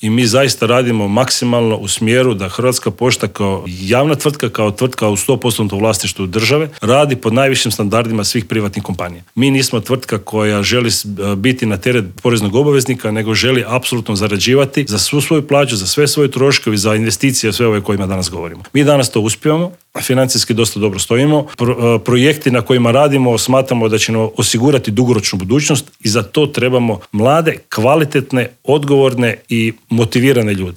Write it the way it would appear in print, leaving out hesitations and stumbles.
i mi zaista radimo maksimalno u smjeru da Hrvatska pošta kao javna tvrtka, kao tvrtka u 100% vlasništvu države, radi pod najvišim standardima svih privatnih kompanija. Mi nismo tvrtka koja želi biti na teret poreznog obveznika, nego želi apsolutno zarađivati za svu svoju plaću, za sve svoje troškove i za investicije, sve ove kojima danas govorimo. Mi danas to uspijemo, financijski dosta dobro stojimo. Projekti na kojima radimo smatramo da će nam osigurati dugoročnu budućnost i za to trebamo mlade, kvalitetne, odgovorne i motivirane ljude.